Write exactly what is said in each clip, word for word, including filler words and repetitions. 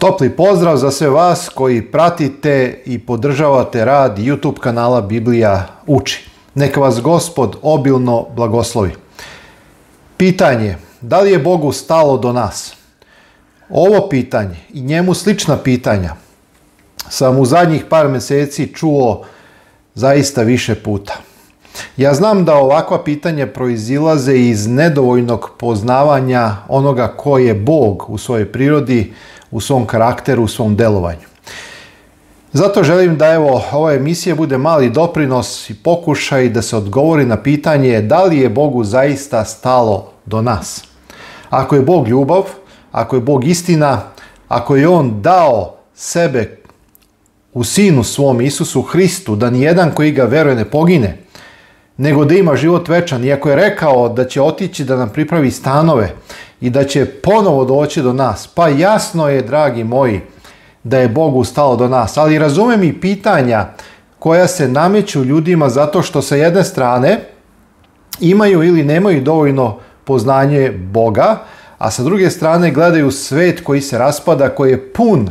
Topli pozdrav za sve vas koji pratite i podržavate rad YouTube kanala Biblija uči. Neka vas Gospod obilno blagoslovi. Pitanje, da li je Bogu stalo do nas? Ovo pitanje i njemu slična pitanja sam u zadnjih par mjeseci čuo zaista više puta. Ja znam da ovakva pitanja proizilaze iz nedovoljnog poznavanja onoga ko je Bog u svojoj prirodi, u svom karakteru, u svom delovanju. Zato želim da evo ova emisija bude mali doprinos i pokušaj da se odgovori na pitanje da li je Bogu zaista stalo do nas. Ako je Bog ljubav, ako je Bog istina, ako je On dao sebe u Sinu svom Isusu Hristu, da nijedan koji ga veruje ne pogine, nego da ima život večan, iako je rekao da će otići da nam pripravi stanove i da će ponovo doći do nas, pa jasno je, dragi moji, da je Bogu stalo do nas. Ali razumem i pitanja koja se nameću ljudima zato što sa jedne strane imaju ili nemaju dovoljno poznanje Boga, a sa druge strane gledaju svet koji se raspada, koji je pun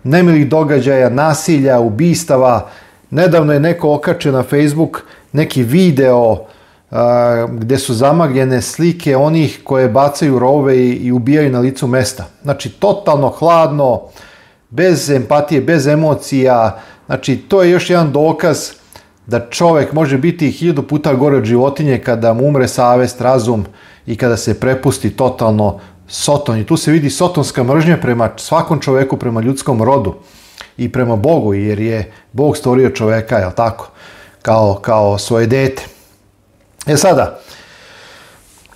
nemilih događaja, nasilja, ubistava. Nedavno je neko okačio na Facebook neki video uh, gdje su zamagljene slike onih koje bacaju rovove i, i ubijaju na licu mesta. Znači, totalno hladno, bez empatije, bez emocija. Znači, to je još jedan dokaz da čovjek može biti hiljadu puta gore od životinje kada mu umre savest, razum i kada se prepusti totalno Soton. I tu se vidi sotonska mržnja prema svakom čovjeku, prema ljudskom rodu i prema Bogu, jer je Bog stvorio čovjeka, jel tako? Kao, kao svoje dete. E sada,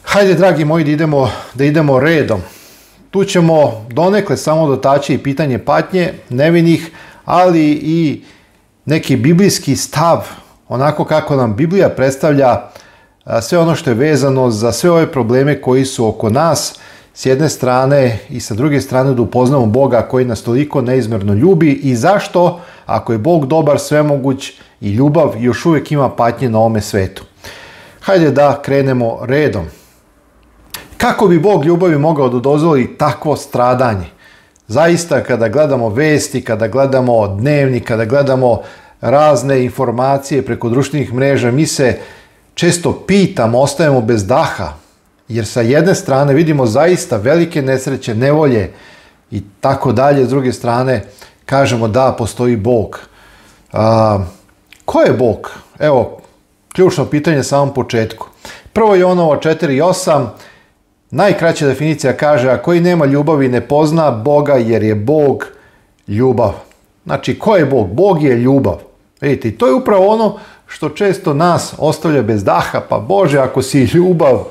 hajde, dragi moji, da idemo, da idemo redom. Tu ćemo donekle samo dotaći i pitanje patnje nevinih, ali i neki biblijski stav, onako kako nam Biblija predstavlja sve ono što je vezano za sve ove probleme koji su oko nas, s jedne strane i sa druge strane da upoznamo Boga koji nas toliko neizmjerno ljubi i zašto, ako je Bog dobar, svemoguć i ljubav, još uvijek ima patnje na ovome svetu. Hajde da krenemo redom. Kako bi Bog ljubavi mogao da dozvoli takvo stradanje? Zaista, kada gledamo vesti, kada gledamo dnevnik, kada gledamo razne informacije preko društvenih mreža, mi se često pitamo, ostajemo bez daha, jer sa jedne strane vidimo zaista velike nesreće, nevolje i tako dalje, s druge strane kažemo da postoji Bog. A, ko je Bog? Evo, ključno pitanje na samom početku. Prvo Jonovo četiri osam, najkraća definicija kaže, a koji nema ljubavi ne pozna Boga jer je Bog ljubav. Znači, ko je Bog? Bog je ljubav. Vidite, i to je upravo ono što često nas ostavlja bez daha. Pa Bože, ako si ljubav,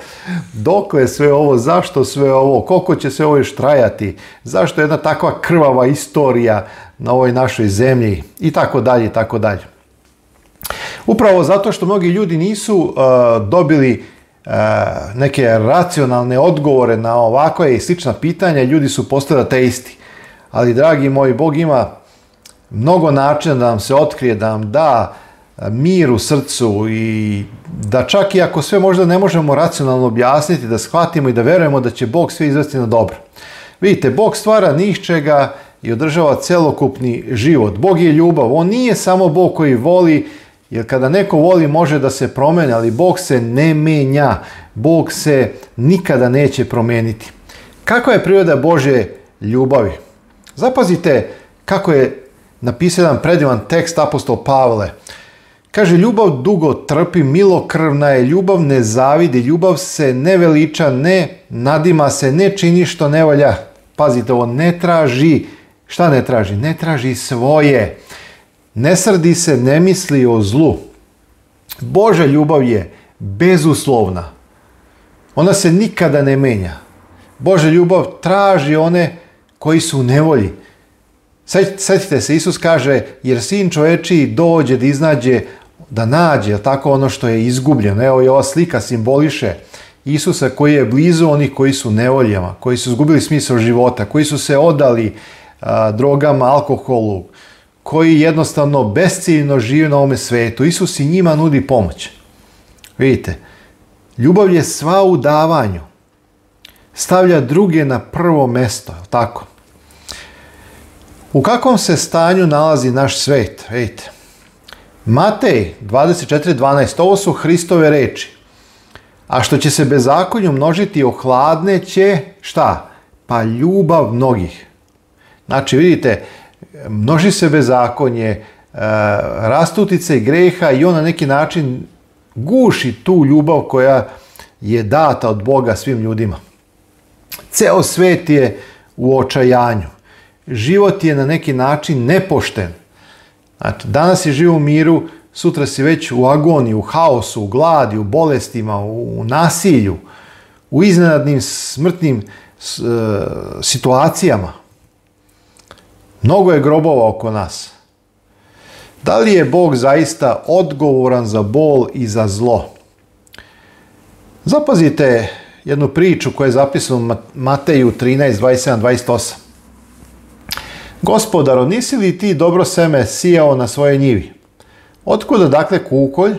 dokle je sve ovo, zašto sve ovo, koliko će sve ovo još trajati, zašto je jedna takva krvava istorija na ovoj našoj zemlji i tako dalje i tako dalje. Upravo zato što mnogi ljudi nisu uh, dobili uh, neke racionalne odgovore na ovakva i slična pitanja, ljudi su postali ateisti. Ali, dragi moji, Bog ima mnogo načina da nam se otkrije, da nam da mir u srcu i da čak i ako sve možda ne možemo racionalno objasniti, da shvatimo i da verujemo da će Bog sve izvesti na dobro. Vidite, Bog stvara ni iz čega i održava celokupni život. Bog je ljubav. On nije samo Bog koji voli, jer kada neko voli može da se promeni, ali Bog se ne menja. Bog se nikada neće promeniti. Kakva je priroda Božje ljubavi? Zapazite kako je napisao jedan predivan tekst apostol Pavle. Kaže, ljubav dugo trpi, milokrvna je, ljubav ne zavidi, ljubav se ne veliča, ne nadima se, ne čini što ne valja. Pazite ovo, ne traži. Šta ne traži? Ne traži svoje. Ne srdi se, ne misli o zlu. Božja ljubav je bezuslovna. Ona se nikada ne menja. Božja ljubav traži one koji su u nevolji. Sjetite se, Isus kaže, jer Sin čovječiji dođe da iznađe, da nađe, tako, ono što je izgubljeno. Evo i ova slika simboliše Isusa koji je blizu onih koji su u nevoljama, koji su izgubili smisao života, koji su se odali a, drogama, alkoholu, koji jednostavno besciljno žive na ovome svetu. Isus i njima nudi pomoć. Vidite, ljubav je sva u davanju. Stavlja druge na prvo mesto, tako? U kakvom se stanju nalazi naš svet? Vidite. Matej dvadeset četiri dvanaest, ovo su Hristove reči. A što će se bezakonju množiti, ohladneće, šta? Pa ljubav mnogih. Znači, vidite, množi se bezakonje, rastutice greha i on na neki način guši tu ljubav koja je data od Boga svim ljudima. Ceo svet je u očajanju. Život je na neki način nepošten. Znači, danas si živ u miru, sutra si već u agoniji, u haosu, u gladi, u bolestima, u nasilju, u iznenadnim smrtnim situacijama. Mnogo je grobova oko nas. Da li je Bog zaista odgovoran za bol i za zlo? Zapazite jednu priču koja je zapisana u Mateju trinaest dvadeset sedam dvadeset osam. Gospodaro, nisi li ti dobro seme sijao na svojoj njivi? Otkuda dakle kukolj?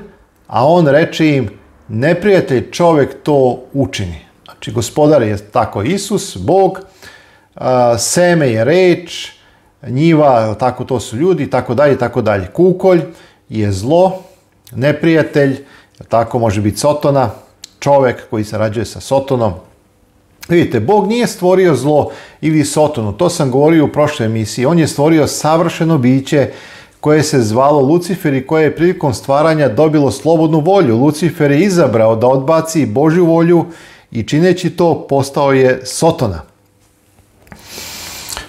A on reče im, neprijatelj čovjek to učini. Znači, gospodar je tako Isus, Bog, seme je reč, njiva, tako to su ljudi, tako dalje, tako dalje. Kukolj je zlo, neprijatelj, tako može biti Sotona, čovjek koji sarađuje sa Sotonom. Vidite, Bog nije stvorio zlo ili Sotonu, to sam govorio u prošloj emisiji. On je stvorio savršeno biće koje se zvalo Lucifer i koje je prilikom stvaranja dobilo slobodnu volju. Lucifer je izabrao da odbaci Božju volju i čineći to postao je Sotona.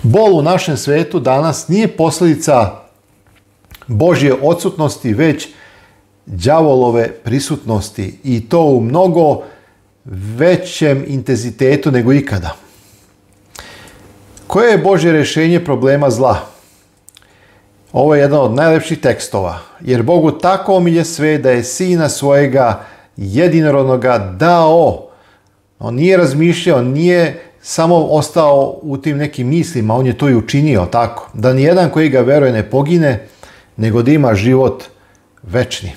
Bol u našem svetu danas nije posljedica Božje odsutnosti, već đavolove prisutnosti i to u mnogo većem intenzitetu nego ikada. Koje je Božje rješenje problema zla? Ovo je jedan od najlepših tekstova. Jer Bogu tako omilje sve da je Sina svojega jedinorodnoga dao. On nije razmišljao, nije samo ostao u tim nekim mislima, on je to i učinio tako. Da nijedan koji ga veruje ne pogine, nego da ima život večni.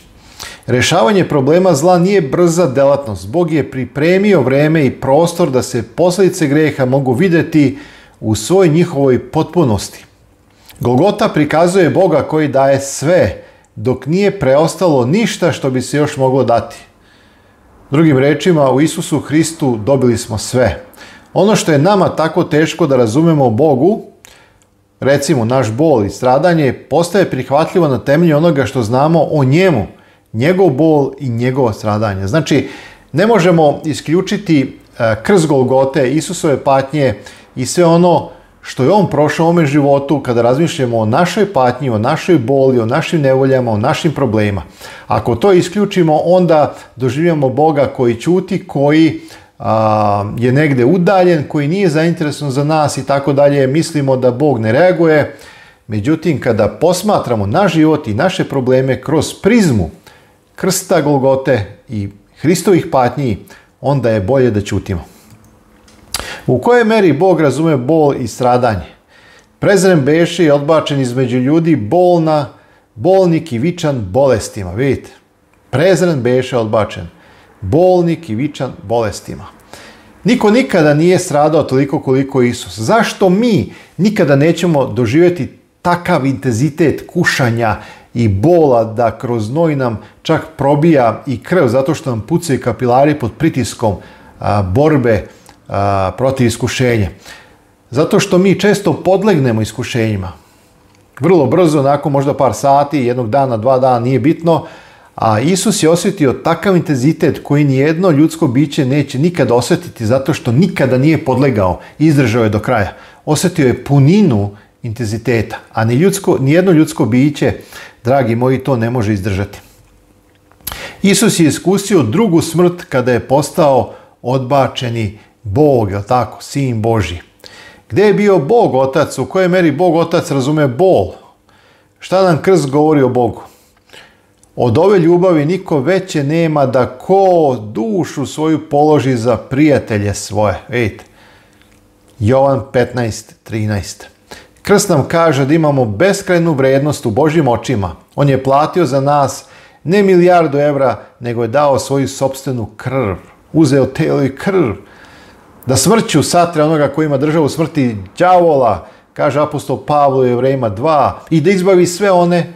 Rješavanje problema zla nije brza delatnost. Bog je pripremio vreme i prostor da se posljedice greha mogu vidjeti u svoj njihovoj potpunosti. Golgota prikazuje Boga koji daje sve, dok nije preostalo ništa što bi se još moglo dati. Drugim rečima, u Isusu Hristu dobili smo sve. Ono što je nama tako teško da razumemo o Bogu, recimo naš bol i stradanje, postaje prihvatljivo na temelju onoga što znamo o njemu, njegov bol i njegovo stradanje. Znači, ne možemo isključiti krst Golgote, Isusove patnje i sve ono što je on prošao u ovome životu kada razmišljamo o našoj patnji, o našoj boli, o našim nevoljama, o našim problemima. Ako to isključimo, onda doživljamo Boga koji ćuti, koji a, je negdje udaljen, koji nije zainteresovan za nas i tako dalje. Mislimo da Bog ne reaguje. Međutim, kada posmatramo naš život i naše probleme kroz prizmu krsta Golgote i Hristovih patnji, onda je bolje da ćutimo. U kojoj meri Bog razume bol i stradanje? Prezren beše i odbačen između ljudi, bolna, bolnik i vičan bolestima. Vidite, prezren beše odbačen, bolnik i vičan bolestima. Niko nikada nije stradao toliko koliko Isus. Zašto mi nikada nećemo doživjeti takav intenzitet kušanja i bola da kroz znoj nam čak probija i krv zato što nam pucaju kapilari pod pritiskom a, borbe a, protiv iskušenja? Zato što mi često podlegnemo iskušenjima. Vrlo brzo, nakon možda par sati, jednog dana, dva dana, nije bitno, a Isus je osjetio takav intenzitet koji nijedno ljudsko biće neće nikada osjetiti zato što nikada nije podlegao i izdržao je do kraja. Osjetio je puninu intenziteta, a ni ljudsko, nijedno ljudsko biće, dragi moji, to ne može izdržati. Isus je iskusio drugu smrt kada je postao odbačeni Bog, je tako, Sin Božji. Gdje je bio Bog Otac? U kojoj meri Bog Otac razume bol? Šta nam krst govori o Bogu? Od ove ljubavi niko veće nema da ko dušu svoju položi za prijatelje svoje. Vidite, Jovan petnaest trinaest. Krst nam kaže da imamo beskrajnu vrednost u Božjim očima. On je platio za nas ne milijardu evra, nego je dao svoju sopstvenu krv. Uzeo telo i krv. Da smrću satre onoga koji ima državu smrti, đavola, kaže apostol Pavlo u Jevrejima dva, i da izbavi sve one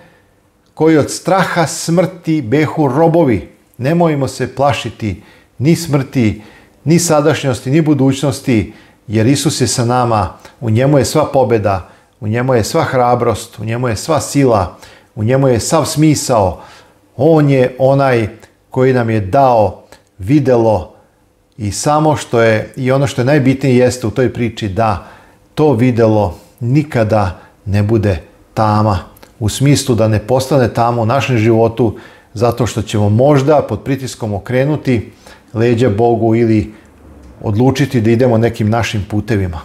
koji od straha smrti behu robovi. Nemojmo se plašiti ni smrti, ni sadašnjosti, ni budućnosti, jer Isus je sa nama, u njemu je sva pobjeda, u njemu je sva hrabrost, u njemu je sva sila, u njemu je sav smisao. On je onaj koji nam je dao videlo i samo što je, i ono što je najbitnije jeste u toj priči, da to videlo nikada ne bude tama. U smislu da ne postane tama u našem životu, zato što ćemo možda pod pritiskom okrenuti leđa Bogu ili odlučiti da idemo nekim našim putevima.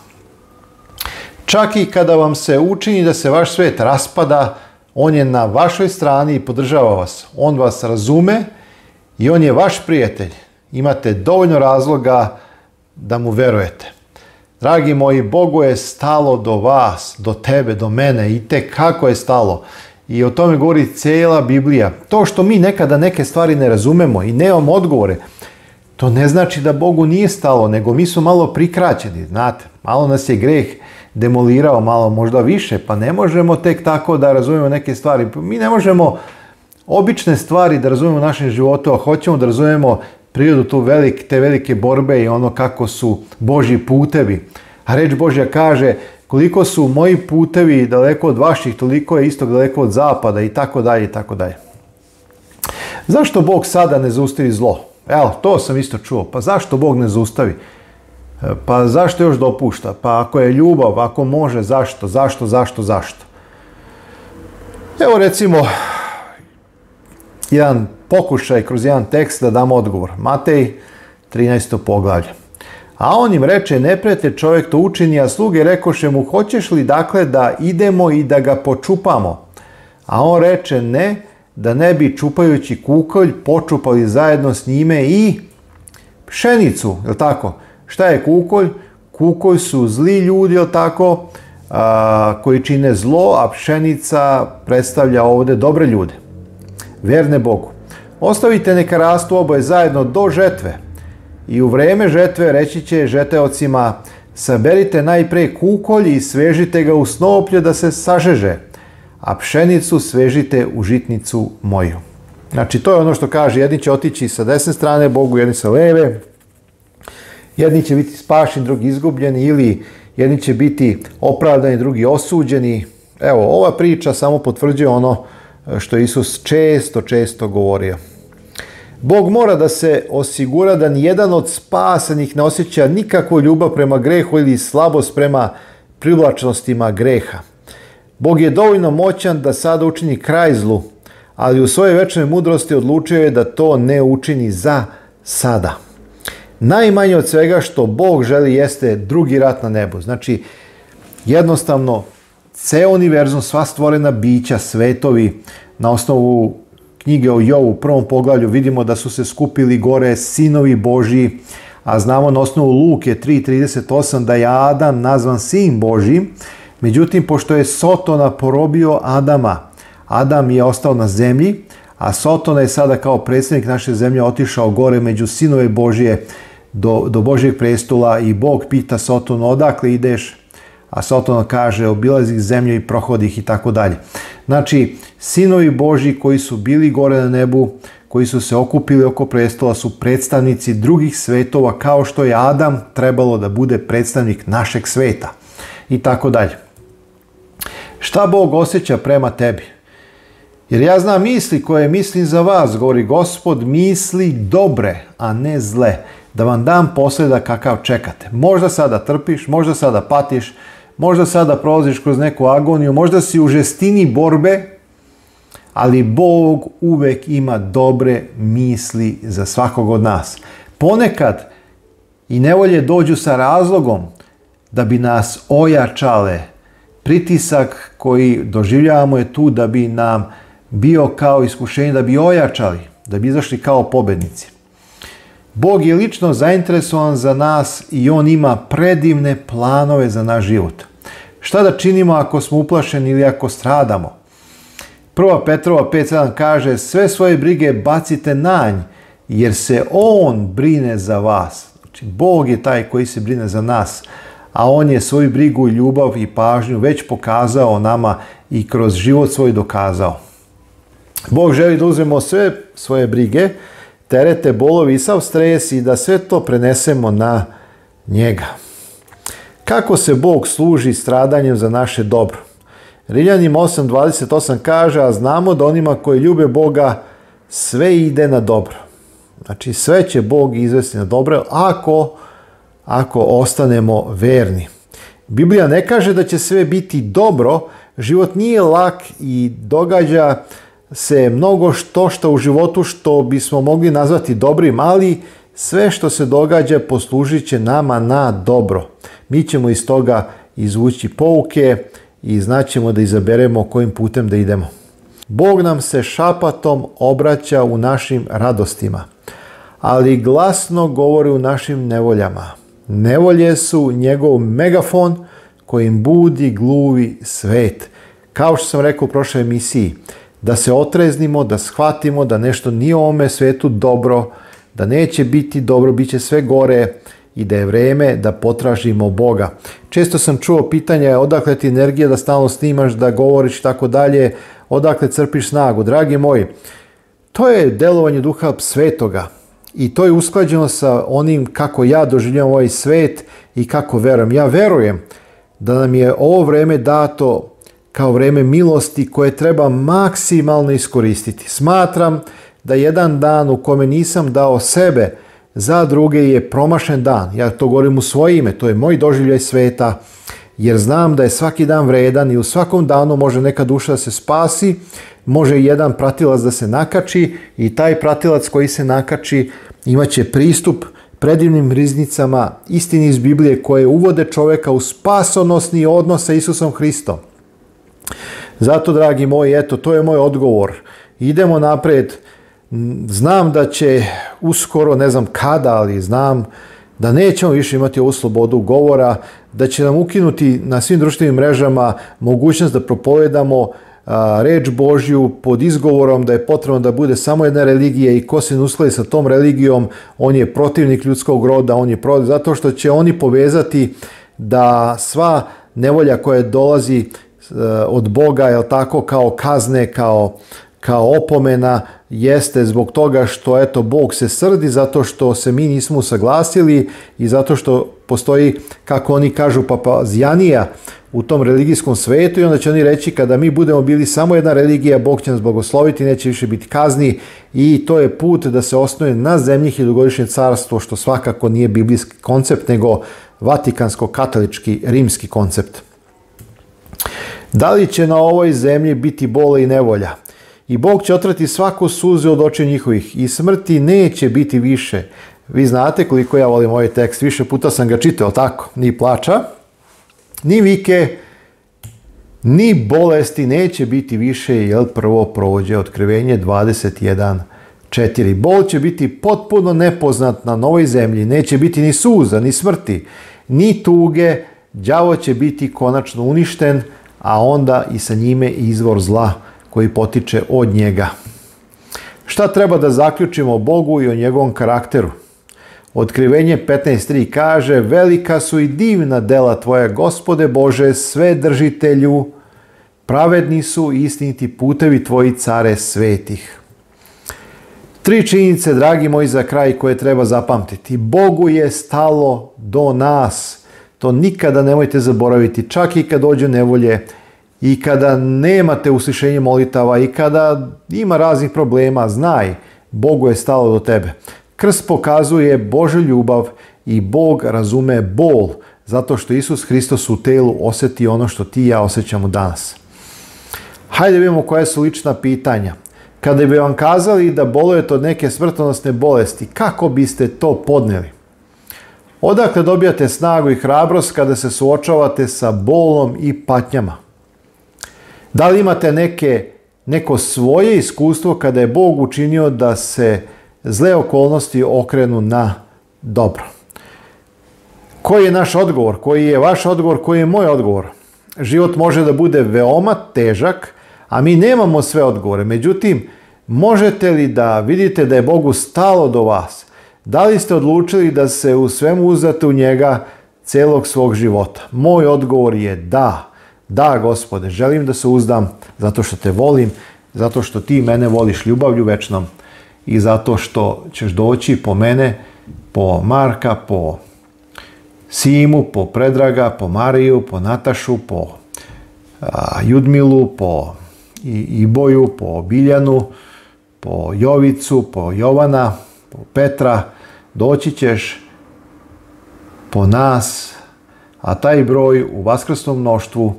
Čak i kada vam se učini da se vaš svet raspada, on je na vašoj strani i podržava vas. On vas razume i on je vaš prijatelj. Imate dovoljno razloga da mu verujete. Dragi moji, Bogu je stalo do vas, do tebe, do mene, i te kako je stalo. I o tome govori cijela Biblija. To što mi nekada neke stvari ne razumemo i nemamo odgovore, to ne znači da Bogu nije stalo, nego mi smo malo prikraćeni, znate. Malo nas je greh demolirao, malo možda više, pa ne možemo tek tako da razumemo neke stvari. Mi ne možemo obične stvari da razumemo u našem životu, a hoćemo da razumemo prirodu tu velik, te velike borbe i ono kako su Božji putevi. A reč Božja kaže, koliko su moji putevi daleko od vaših, toliko je istok daleko od zapada i tako dalje i tako dalje. Zašto Bog sada ne zaustavi zlo? Evo, to sam isto čuo. Pa zašto Bog ne zaustavi? Pa zašto još dopušta? Pa ako je ljubav, ako može, zašto? Zašto, zašto, zašto? Evo recimo jedan pokušaj kroz jedan tekst da damo odgovor. Matej trinaesto poglavlje. A on im reče, neprijatelj čovjek to učini, a sluge rekoše mu, hoćeš li dakle da idemo i da ga počupamo? A on reče, ne, da ne bi čupajući kukolj počupali zajedno s njime i pšenicu, je li tako? Šta je kukolj? Kukolj su zli ljudi, je li tako, a, koji čine zlo, a pšenica predstavlja ovdje dobre ljude, verne Bogu. Ostavite neka rastu oboje zajedno do žetve. I u vreme žetve reći će žeteocima, saberite najpre kukolj i svežite ga u snoplje da se sažeže, a pšenicu svežite u žitnicu moju. Znači, to je ono što kaže, jedni će otići sa desne strane Bogu, jedni sa leve, jedni će biti spašeni, drugi izgubljeni, ili jedni će biti opravdani, drugi osuđeni. Evo, ova priča samo potvrđuje ono što je Isus često, često govorio. Bog mora da se osigura da nijedan od spasenih ne osjeća nikakvu ljubav prema grehu ili slabost prema privlačnostima greha. Bog je dovoljno moćan da sada učini kraj zlu, ali u svojoj večnoj mudrosti odlučio je da to ne učini za sada. Najmanje od svega što Bog želi jeste drugi rat na nebu. Znači, jednostavno, ceo univerzum, sva stvorena bića, svetovi, na osnovu knjige o Jovu u prvom poglavlju vidimo da su se skupili gore sinovi Božji, a znamo na osnovu Luke tri trideset osam da je Adam nazvan sin Božji. Međutim, pošto je Sotona porobio Adama, Adam je ostao na zemlji, a Sotona je sada kao predsjednik naše zemlje otišao gore među sinove Božje do, do Božjeg prestola i Bog pita Sotonu, odakle ideš? A Sotona kaže, obilazi zemlju i prohodi ih i tako dalje. Znači, sinovi Božji koji su bili gore na nebu, koji su se okupili oko prestola, su predstavnici drugih svetova, kao što je Adam trebalo da bude predstavnik našeg sveta. I tako dalje. Šta Bog osjeća prema tebi? Jer ja znam misli koje mislim za vas, govori Gospod, misli dobre, a ne zle, da vam dam posleda kakav čekate. Možda sada trpiš, možda sada patiš, možda sada prolaziš kroz neku agoniju, možda si u žestini borbe, ali Bog uvek ima dobre misli za svakog od nas. Ponekad i nevolje dođu sa razlogom da bi nas ojačale. Pritisak koji doživljavamo je tu da bi nam bio kao iskušenje, da bi ojačali, da bi izašli kao pobednici. Bog je lično zainteresovan za nas i on ima predivne planove za naš život. Šta da činimo ako smo uplašeni ili ako stradamo? Prva Petrova pet sedam kaže, sve svoje brige bacite na nj, jer se on brine za vas. Znači, Bog je taj koji se brine za nas. a on je svoju brigu, ljubav i pažnju već pokazao nama i kroz život svoj dokazao. Bog želi da uzmemo sve svoje brige, terete, bolovi i sav stres i da sve to prenesemo na njega. Kako se Bog služi stradanjem za naše dobro? Rimljanima osam dvadeset osam kaže, a znamo da onima koji ljube Boga sve ide na dobro. Znači sve će Bog izvesti na dobro ako, ako ostanemo verni. Biblija ne kaže da će sve biti dobro, život nije lak i događa se mnogo što što u životu što bismo mogli nazvati dobrim, ali sve što se događa poslužit će nama na dobro. Mi ćemo iz toga izvući pouke i znaćemo da izaberemo kojim putem da idemo. Bog nam se šapatom obraća u našim radostima, ali glasno govori u našim nevoljama. Nevolje su njegov megafon kojim budi gluvi svet. Kao što sam rekao u prošloj emisiji, da se otreznimo, da shvatimo da nešto nije u ovome svetu dobro, da neće biti dobro, bit će sve gore i da je vreme da potražimo Boga. Često sam čuo pitanje odakle ti energija da stalno snimaš, da govoriš i tako dalje, odakle crpiš snagu. Dragi moji, to je delovanje Duha Svetoga i to je usklađeno sa onim kako ja doživljavam ovaj svet i kako verujem. Ja verujem da nam je ovo vreme dato kao vreme milosti koje treba maksimalno iskoristiti. Smatram da jedan dan u kome nisam dao sebe za druge je promašen dan. Ja to govorim u svoje ime, to je moj doživljaj sveta, jer znam da je svaki dan vredan i u svakom danu može neka duša da se spasi, može jedan pratilac da se nakači i taj pratilac koji se nakači imaće pristup predivnim riznicama istini iz Biblije koje uvode čoveka u spasonosni odnos sa Isusom Hristom. Zato, dragi moji, eto, to je moj odgovor. Idemo napred. Znam da će uskoro, ne znam kada, ali znam da nećemo više imati ovu slobodu govora, da će nam ukinuti na svim društvenim mrežama mogućnost da propovedamo a, reč Božju pod izgovorom da je potrebno da bude samo jedna religija i ko se ne uskladi sa tom religijom, on je protivnik ljudskog roda, on je protiv, zato što će oni povezati da sva nevolja koja dolazi od Boga, jel tako, kao kazne, kao, kao opomena, jeste zbog toga što eto Bog se srdi zato što se mi nismo usaglasili i zato što postoji, kako oni kažu, papazjanija u tom religijskom svetu i onda će oni reći kada mi budemo bili samo jedna religija, Bog će nas blagosloviti, neće više biti kazni i to je put da se osnuje na zemlji hiljadugodišnje carstvo, što svakako nije biblijski koncept nego vatikansko-katolički rimski koncept. Da li će na ovoj zemlji biti bole i nevolja? I Bog će otrati svaku suzu od očiju njihovih i smrti neće biti više. Vi znate koliko ja volim ovaj tekst, više puta sam ga čitao, tako? Ni plača, ni vike, ni bolesti neće biti više, jer prvo prođe Otkrivenje dvadeset jedan četiri. Bol će biti potpuno nepoznat na novoj zemlji, neće biti ni suza, ni smrti, ni tuge, đavo će biti konačno uništen, a onda i sa njime izvor zla koji potiče od njega. Šta treba da zaključimo o Bogu i o njegovom karakteru? Otkrivenje petnaest tri kaže: velika su i divna dela tvoja, Gospode Bože, sve držitelju, pravedni su i istiniti putevi tvoji, care svetih. Tri činjenice, dragi moji, za kraj koje treba zapamtiti. Bogu je stalo do nas. To nikada nemojte zaboraviti, čak i kad dođu nevolje i kada nemate uslišenje molitava i kada ima raznih problema, znaj, Bogu je stalo do tebe. Krst pokazuje Božju ljubav i Bog razume bol, zato što Isus Hristos u telu osjeti ono što ti i ja osjećamo danas. Hajde vidimo koja su lična pitanja. Kada bi vam kazali da bolujete od neke smrtonosne bolesti, kako biste to podnijeli? Odakle dobijate snagu i hrabrost kada se suočavate sa bolom i patnjama? Da li imate neke, neko svoje iskustvo kada je Bog učinio da se zle okolnosti okrenu na dobro? Koji je naš odgovor? Koji je vaš odgovor? Koji je moj odgovor? Život može da bude veoma težak, a mi nemamo sve odgovore. Međutim, možete li da vidite da je Bogu stalo do vas? Da li ste odlučili da se u svemu uzdate u njega, celog svog života? Moj odgovor je da. Da, Gospode, želim da se uzdam zato što te volim, zato što ti mene voliš ljubavlju večnom i zato što ćeš doći po mene, po Marka, po Simu, po Predraga, po Mariju, po Natašu, po a, Judmilu, po i, Iboju, po Biljanu, po Jovicu, po Jovana, po Petra. Doći ćeš po nas, a taj broj u vaskrsnom mnoštvu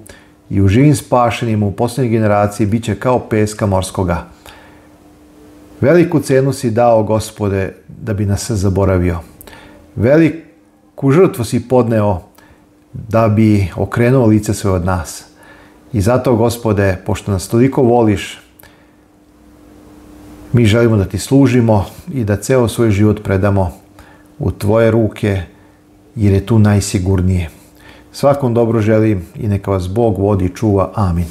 i u živim spašenima u posljednjoj generaciji bit će kao peska morskoga. Veliku cenu si dao, Gospode, da bi nas se zaboravio. Veliku žrtvu si podneo da bi okrenuo lice svoje od nas. I zato, Gospode, pošto nas toliko voliš, mi želimo da ti služimo i da ceo svoj život predamo u tvoje ruke, jer je tu najsigurnije. Svakom dobro želim i neka vas Bog vodi i čuva. Amin.